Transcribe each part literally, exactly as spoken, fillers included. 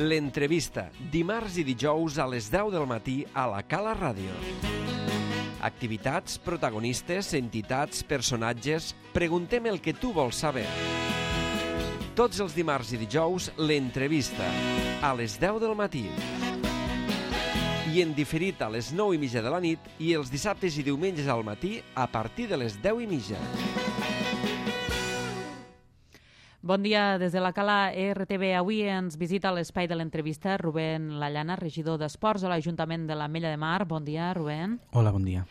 L'entrevista, dimarts i dijous a les deu del matí a la Cala Ràdio. Activitats, protagonistes, entitats, personatges... Preguntem el que tu vols saber. Tots els dimarts i dijous, l'entrevista, a les deu del matí. I en diferit a les nou i mitja de la nit i els dissabtes i diumenges al matí a partir de les deu i mitja. Bon dia des de la Cala R T V. Avui ens visita a l'espai de l'entrevista Rubén Lallana, regidor d'Esports a l'Ajuntament de l'Ametlla de Mar. Bon dia, Rubén. Hola, bon dia.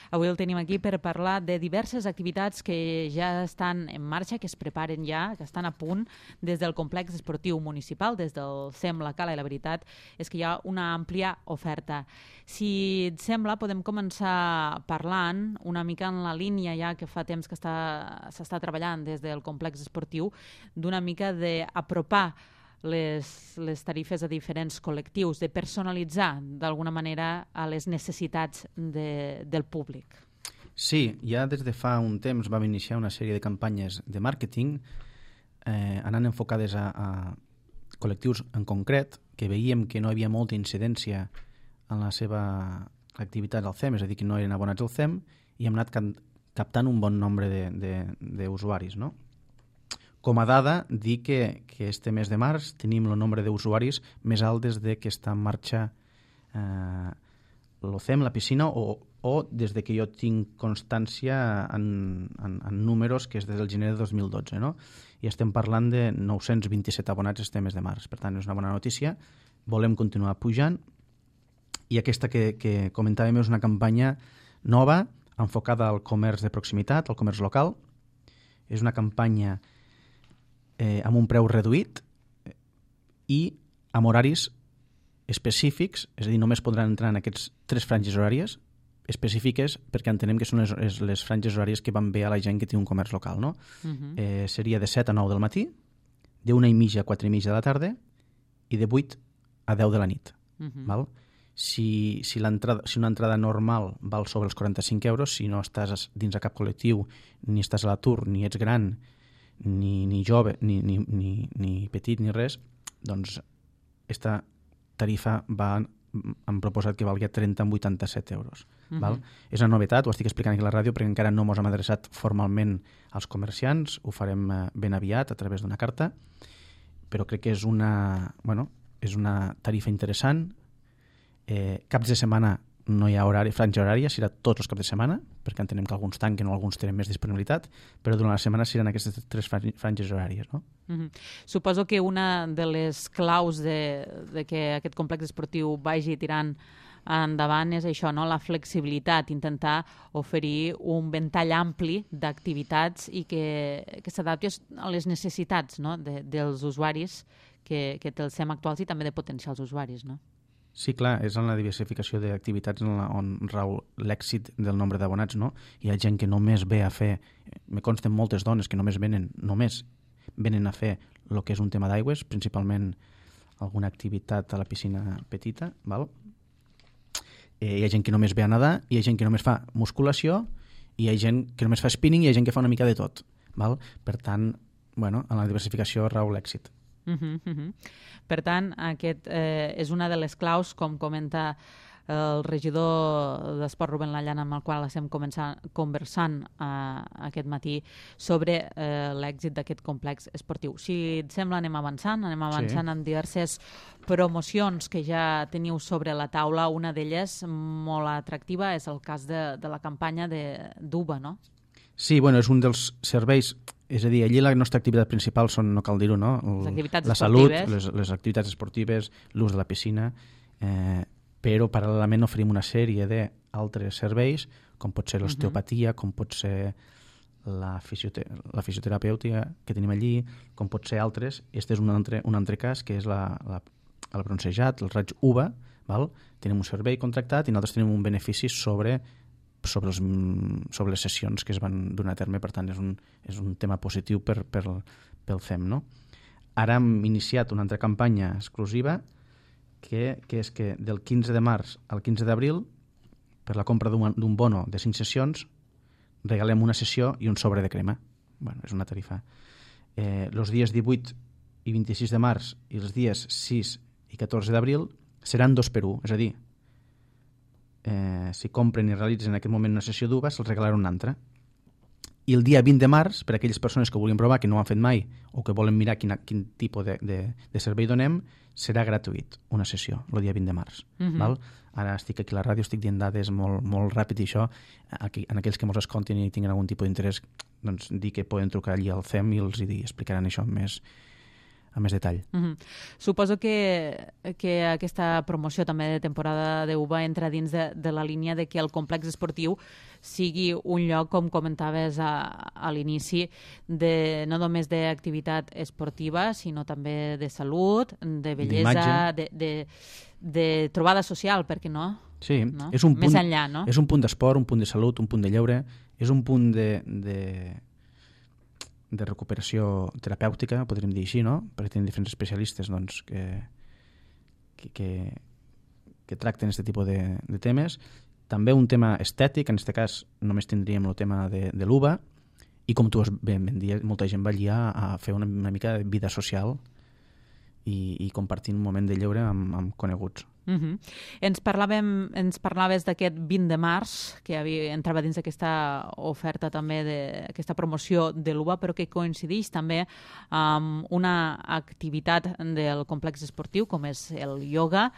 Avui el tenim aquí per parlar de diverses activitats que ja estan en marxa, que es preparen ja, que estan a punt des del complex esportiu municipal, des del C E M La Cala, i la veritat és que hi ha una àmplia oferta. Si et sembla, podem començar parlant una mica en la línia ja que fa temps que s'està treballant des del complex esportiu, d'una mica d'apropar Les, les tarifes a diferents col·lectius, de personalitzar d'alguna manera a les necessitats de, del públic. Sí, ja des de fa un temps vam iniciar una sèrie de campanyes de màrqueting eh, anant enfocades a, a col·lectius en concret, que veiem que no hi havia molta incidència en la seva activitat al C E M, és a dir, que no eren abonats al C E M, i hem anat captant un bon nombre d'usuaris, no? Com a dada, dir que, que este mes de març tenim el nombre d'usuaris més alt des de que està en marxa eh, l'O C E M, la piscina, o, o des de que jo tinc constància en, en, en números, que és des del gener de dos mil dotze, no? I estem parlant de nou-cents vint-i-set abonats este mes de març. Per tant, és una bona notícia. Volem continuar pujant. I aquesta que, que comentàvem és una campanya nova, enfocada al comerç de proximitat, al comerç local. És una campanya Eh, amb un preu reduït i amb horaris específics, és a dir, només podran entrar en aquests tres franges horàries específiques perquè entenem que són les, les franges horàries que van bé a la gent que té un comerç local, no? Uh-huh. eh, seria de set a nou del matí, d'una i mitja a quatre i mitja de la tarda i de vuit a deu de la nit. Uh-huh. Val? Si, si, si una entrada normal val sobre els quaranta-cinc euros, si no estàs dins de cap col·lectiu, ni estàs a l'atur, ni ets gran, ni, ni jove, ni, ni, ni, ni petit, ni res, doncs esta tarifa va, hem proposat que valgui trenta amb vuitanta-set euros. Uh-huh. Val? És una novetat, ho estic explicant aquí a la ràdio perquè encara no mos hem adreçat formalment als comerciants, ho farem ben aviat a través d'una carta, però crec que és una, bueno, és una tarifa interessant. Eh, caps de setmana no hi ha horari, franja horària, serà tots els caps de setmana, perquè entenem que alguns tanquen o alguns tenen més disponibilitat, però durant la setmana seran aquestes tres franges horàries, no? Mm-hmm. Suposo que una de les claus de, de que aquest complex esportiu vagi tirant endavant és això, no? La flexibilitat, intentar oferir un ventall ampli d'activitats i que, que s'adapti a les necessitats, no? de, dels usuaris que, que té el C E M actuals i també de potencials usuaris, no? Sí, clar, és en la diversificació d'activitats on rau l'èxit del nombre d'abonats, no? Hi ha gent que només ve a fer, me consten moltes dones que només venen, només venen a fer el que és un tema d'aigües, principalment alguna activitat a la piscina petita, val? Eh, hi ha gent que només ve a nedar, hi ha gent que només fa musculació, i hi ha gent que només fa spinning i hi ha gent que fa una mica de tot, val? Per tant, bueno, en la diversificació rau l'èxit. Uh-huh, uh-huh. Per tant, aquest eh, és una de les claus, com comenta el regidor d'Esport Rubén Lallana, amb el qual estem conversant eh, aquest matí sobre eh, l'èxit d'aquest complex esportiu. Si et sembla, anem avançant, anem avançant sí. amb diverses promocions que ja teniu sobre la taula. Una d'elles, molt atractiva, és el cas de, de la campanya d'U B A, no? Sí, bueno, és un dels serveis, és a dir, allí la nostra activitat principal són, no cal dir-ho, no? El, les activitats la salut, les, les activitats esportives, l'ús de la piscina, eh, però paral·lelament oferim una sèrie d'altres serveis, com pot ser l'osteopatia, com pot ser la, fisiote la fisioterapèutica que tenim allí, com pot ser altres. Este és un altre, un altre cas, que és la, la, el bronzejat, el raig U V A, val? Tenim un servei contractat i nosaltres tenim un benefici sobre sobre, els, sobre les sessions que es van donar a terme, per tant és un, és un tema positiu per, per, pel C E M, no? Ara hem iniciat una altra campanya exclusiva que, que és que del quinze de març al quinze d'abril, per la compra d'un bono de cinc sessions, regalem una sessió i un sobre de crema. Bueno, és una tarifa. Eh, els dies divuit i vint-i-sis de març i els dies sis i catorze d'abril seran dos per un, és a dir, eh, si compren i realitzen en aquest moment una sessió d'U V A se'ls regalarà una altra. I el dia vint de març, per a aquelles persones que ho vulguin provar, que no ho han fet mai, o que volen mirar quin, quin tipus de, de, de servei donem, serà gratuït, una sessió, el dia vint de març. Uh-huh. Val? Ara estic aquí a la ràdio, estic dient dades molt, molt ràpid i això, aquí, en aquells que ens escoltin i tinguin algun tipus d'interès, doncs dir que poden trucar allí al C E M i els hi explicaran això amb més, amb més detall. Uh-huh. Suposo que, que aquesta promoció també de temporada d'U V A entra dins de, de la línia de que el complex esportiu sigui un lloc, com comentaves a, a l'inici, de, no només d'activitat esportiva, sinó també de salut, de bellesa, de, de, de trobada social, per què no? Sí, no? És un punt, més enllà, no? És un punt d'esport, un punt de salut, un punt de lleure, és un punt de, de, de recuperació terapèutica, podríem dir així, no? Perquè tenim diferents especialistes doncs, que, que, que, que tracten aquest tipus de, de temes. També un tema estètic, en aquest cas només tindríem el tema de, de l'U V A, i com tu ben, ben dies, molta gent va allà a fer una, una mica de vida social i, i compartir un moment de lleure amb, amb coneguts. Uh-huh. Ens, parlàvem, ens parlaves d'aquest vint de març, que havia, entrava dins d'aquesta oferta també, d'aquesta promoció de l'U V A, però que coincideix també amb una activitat del complex esportiu, com és el ioga.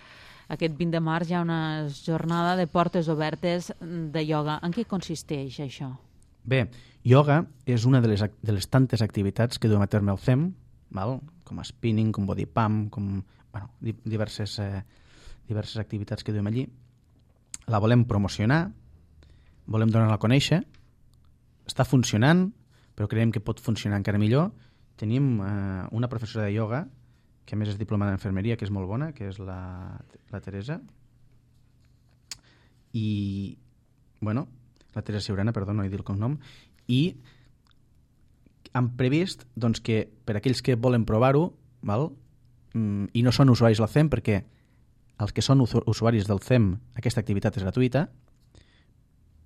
Aquest vint de març hi ha una jornada de portes obertes de ioga. En què consisteix això? Bé, ioga és una de les, de les tantes activitats que duem a terme al C E M, val? Com spinning, com body pump, com bueno, diverses, eh, diverses activitats que duem allí. La volem promocionar, volem donar-la a conèixer, està funcionant, però creiem que pot funcionar encara millor. Tenim eh, una professora de ioga que a més és diplomada en infermeria, que és molt bona, que és la, la Teresa. I, bueno, la Teresa Siurana, perdó, no he dit el cognom. I han previst doncs, que per aquells que volen provar-ho, val? Mm, i no són usuaris del C E M, perquè els que són usuaris del C E M, aquesta activitat és gratuïta,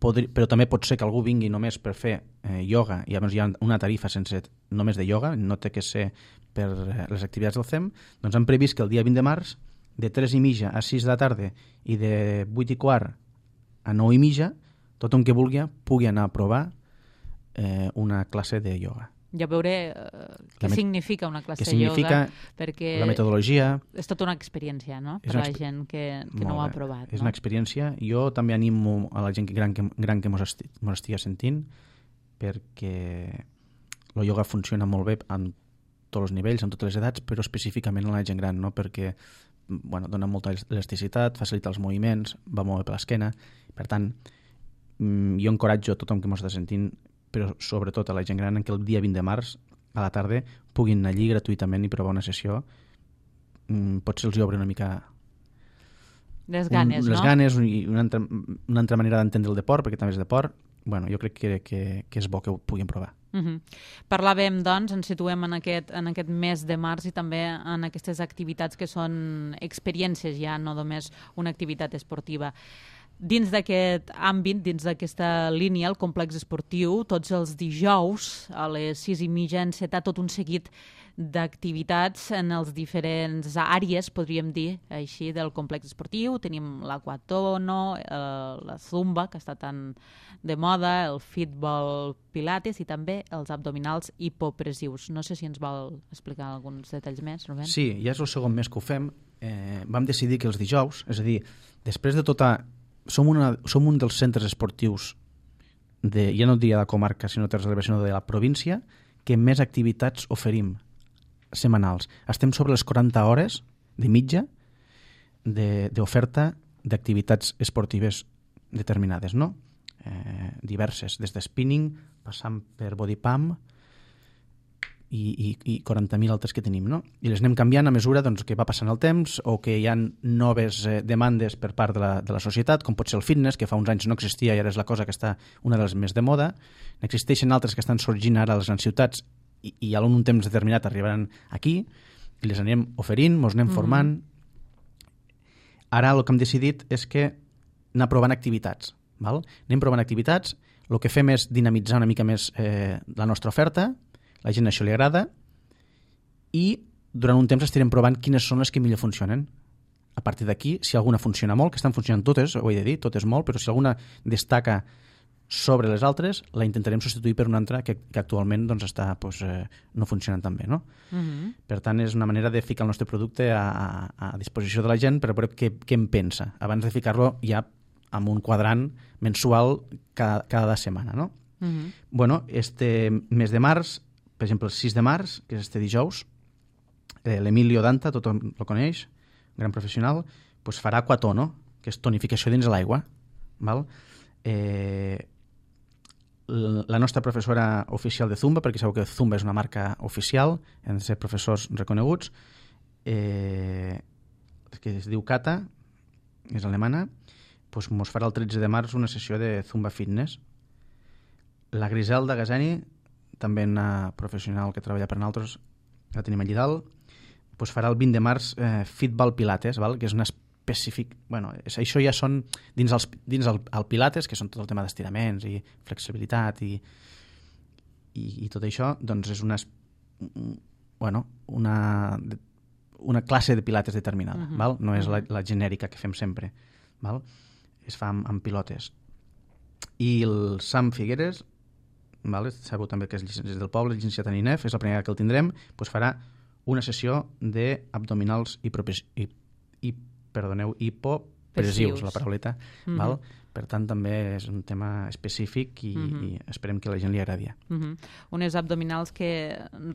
podri, però també pot ser que algú vingui només per fer eh, ioga, i llavors hi ha una tarifa sense només de ioga, no té que ser per les activitats del C E M, doncs han previst que el dia vint de març, de tres i mitja a sis de la tarda i de vuit i quart a nou i mitja, tothom que vulgui pugui anar a provar eh, una classe de ioga. Ja veuré uh, què met... significa una classe de ioga, perquè la metodologia... És tota una experiència, no?, per a la gent que, que no ho ha provat. És no? una experiència. Jo també animo a la gent gran que, gran que mos, esti, mos estigui sentint, perquè el ioga funciona molt bé en tots els nivells, en totes les edats, però específicament a la gent gran, no? Perquè bueno, dona molta elasticitat, facilita els moviments, va molt bé per l'esquena. Per tant, jo encoratjo a tothom que mos està sentint, però sobretot a la gent gran, en que el dia vint de març a la tarda puguin anar allí gratuïtament i provar una sessió. Potser els hi obre una mica les ganes, un, no? Les ganes i una altra, una altra manera d'entendre el deport, perquè també és deport. Bueno, jo crec que, que, que és bo que ho puguin provar. Uh-huh. Parlàvem, doncs, ens situem en aquest, en aquest mes de març i també en aquestes activitats que són experiències ja, no només una activitat esportiva. Dins d'aquest àmbit, dins d'aquesta línia, el complex esportiu, tots els dijous a les sis i mitja enceta tot un seguit d'activitats en els diferents àrees, podríem dir així, del complex esportiu. Tenim l'aquatono, eh, la zumba, que està tan de moda, el fitball pilates i també els abdominals hipopressius. No sé si ens vol explicar alguns detalls més, Rubén. Sí, ja és el segon mes que ho fem. Eh, vam decidir que els dijous, és a dir, després de tota... Som, una, som un dels centres esportius, de, ja no diria de la comarca, sinó de la sinó de la província, que més activitats oferim setmanals. Estem sobre les quaranta hores de mitja d'oferta d'activitats esportives determinades, no? Eh, diverses, des de spinning, passant per body pump i, i, i quaranta mil altres que tenim, no? I les anem canviant a mesura doncs, que va passant el temps o que hi ha noves eh, demandes per part de la, de la societat, com pot ser el fitness, que fa uns anys no existia i ara és la cosa que està una de les més de moda. N'existeixen altres que estan sorgint ara a les grans ciutats i, i a un temps determinat arribaran aquí i les anem oferint, mos anem mm-hmm. formant. Ara el que hem decidit és que anar provant activitats. Val? Anem provant activitats, el que fem és dinamitzar una mica més eh, la nostra oferta, la gent això li agrada i durant un temps estarem provant quines són les que millor funcionen. A partir d'aquí, si alguna funciona molt, que estan funcionant totes, ho he de dir, totes molt, però si alguna destaca sobre les altres, la intentarem substituir per una altra que, que actualment doncs, està, doncs, eh, no funcionant tan bé. No? Mm-hmm. Per tant, és una manera de ficar el nostre producte a, a, a disposició de la gent per veure què, què en pensa, abans de ficar-lo ja amb un quadrant mensual cada, cada setmana. No? Mm-hmm. Bueno, este mes de març, per exemple, el sis de març, que és este dijous, eh, l'Emilio Danta, tothom el coneix, gran professional, doncs farà Aquatono, que és tonificació dins l'aigua. Val? Eh, la nostra professora oficial de Zumba, perquè sabeu que Zumba és una marca oficial, han de ser professors reconeguts, eh, que es diu Kata, és alemana, doncs mos farà el tretze de març una sessió de Zumba Fitness. La Griselda Gazani, també una professional que treballa per nosaltres, la tenim allí dalt, doncs farà el vint de març eh, Fitball Pilates, val? Que és una específic... Bueno, és, això ja són dins, els, dins el, el Pilates, que són tot el tema d'estiraments i flexibilitat i, i, i tot això, doncs és una, bueno, una, una classe de Pilates determinada, uh-huh. val? No és la, la genèrica que fem sempre, val? Es fa amb, amb pilotes. I el Sam Figueres, val? Sabeu també que és, és del poble, llicenciat en I N E F, és la primera que el tindrem, doncs farà una sessió d'abdominals i, i, i perdoneu, hipopressius, la parauleta, mm-hmm. val? Per tant, també és un tema específic i, mm-hmm. i esperem que a la gent li agradi. Mm-hmm. Unes abdominals que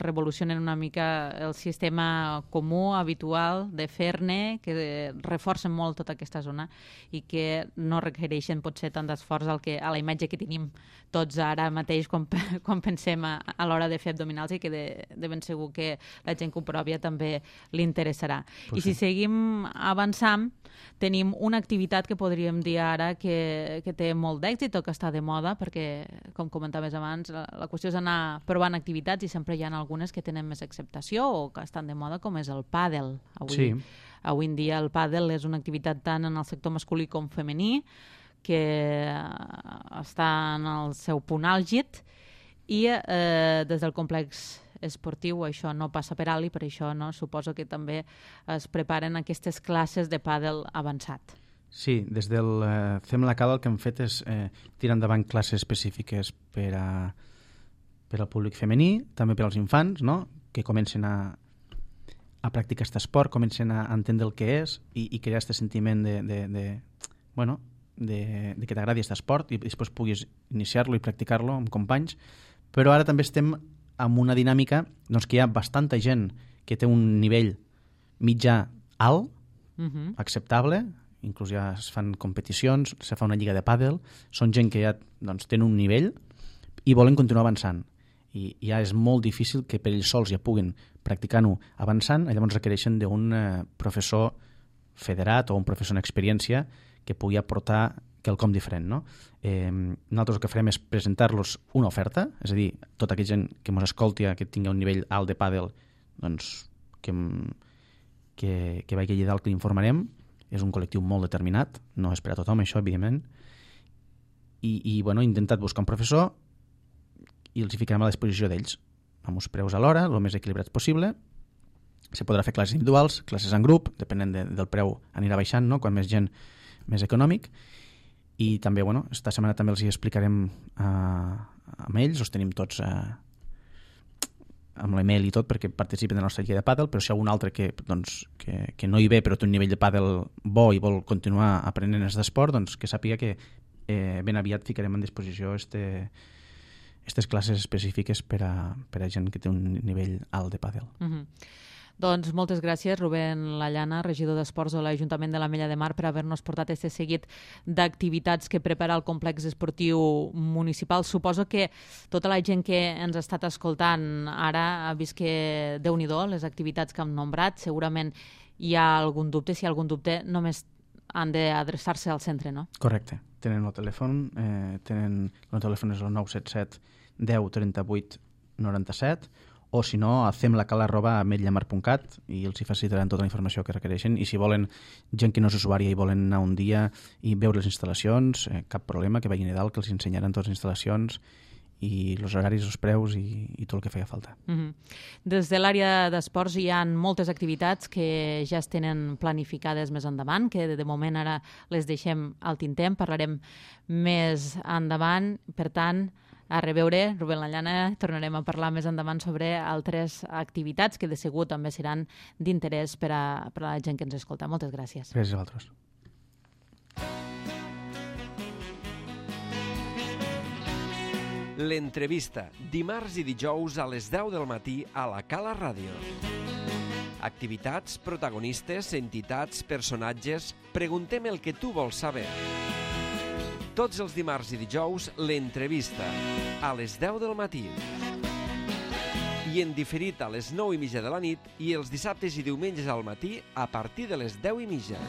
revolucionen una mica el sistema comú, habitual, de fer-ne, que reforcen molt tota aquesta zona i que no requereixen potser tant d'esforç al que, a la imatge que tenim tots ara mateix quan, quan pensem a, a l'hora de fer abdominals i que de, de ben segur que la gent que ho pròvia també li interessarà. Pues I si sí. seguim avançant, tenim una activitat que podríem dir ara que que té molt d'èxit o que està de moda, perquè, com comentaves abans, la, la qüestió és anar provant activitats i sempre hi ha algunes que tenen més acceptació o que estan de moda, com és el pàdel. Avui, sí. avui en dia el pàdel és una activitat tant en el sector masculí com femení, que està en el seu punt àlgid i eh, des del complex esportiu això no passa per alt i per això no, suposo que també es preparen aquestes classes de pàdel avançat. Sí, des del eh, Fem la Cala el que hem fet és eh, tirar endavant classes específiques per, a, per al públic femení, també per als infants, no? Que comencen a, a practicar aquest esport, comencen a entendre el que és i, i crear aquest sentiment de, de, de, bueno, de, de que t'agradi aquest esport i després puguis iniciar-lo i practicar-lo amb companys. Però ara també estem amb una dinàmica doncs, que hi ha bastanta gent que té un nivell mitjà alt, uh-huh. acceptable, inclús ja es fan competicions, se fa una lliga de pàdel, són gent que ja doncs, tenen un nivell i volen continuar avançant. I ja és molt difícil que per ells sols ja puguin practicar-ho avançant, llavors requereixen d'un eh, professor federat o un professor en experiència que pugui aportar quelcom diferent. No? Eh, nosaltres el que farem és presentar-los una oferta, és a dir, tota aquella gent que ens escolti que tingui un nivell alt de pàdel, doncs que, que, que vagi allà dalt que l'informarem. És un col·lectiu molt determinat, no és per a tothom això, evidentment, i, i bueno, he intentat buscar un professor i els hi ficarem a la disposició d'ells, amb uns preus a l'hora, el més equilibrats possible. Se podrà fer classes individuals, classes en grup, depenent de, del preu anirà baixant, no? Quan més gent, més econòmic. I també, bueno, esta setmana també els hi explicarem uh, amb ells, els tenim tots uh, amb l'email i tot perquè participen de la nostra lliga de pàdel, però si hi ha algun altre que, doncs, que, que no hi ve però té un nivell de pàdel bo i vol continuar aprenent aquest esport, doncs que sàpiga que eh, ben aviat ficarem en disposició este, aquestes classes específiques per a, per a gent que té un nivell alt de pàdel. Uh-huh. Doncs moltes gràcies, Rubén Lallana, regidor d'Esports de l'Ajuntament de l'Ametlla de Mar, per haver-nos portat aquest seguit d'activitats que prepara el complex esportiu municipal. Suposo que tota la gent que ens ha estat escoltant ara ha vist que, Déu-n'hi-do, les activitats que hem nombrat, segurament hi ha algun dubte. Si hi ha algun dubte, només han d'adreçar-se al centre, no? Correcte. Tenen el telèfon, eh, tenen, el telèfon és el nou set set deu trenta-vuit noranta-set, o si no, a femlacal arroba ametlla mar punt cat i els hi facilitaran tota la informació que requereixen. I si volen gent que no és usuària i volen anar un dia i veure les instal·lacions, eh, cap problema, que vagin a dalt, que els ensenyaran totes les instal·lacions i els horaris, els preus i, i tot el que feia falta. Mm-hmm. Des de l'àrea d'esports hi ha moltes activitats que ja es tenen planificades més endavant, que de moment ara les deixem al tinter, parlarem més endavant. Per tant, a reveure, Rubén Lallana, tornarem a parlar més endavant sobre altres activitats que de segur també seran d'interès per a, per a la gent que ens escolta. Moltes gràcies. Gràcies a vosaltres. L'entrevista, dimarts i dijous a les deu del matí a la Cala Ràdio. Activitats, protagonistes, entitats, personatges... Preguntem el que tu vols saber. Tots els dimarts i dijous, l'entrevista, a les deu del matí. I en diferit a les nou i mitja de la nit i els dissabtes i diumenges al matí a partir de les deu i mitja.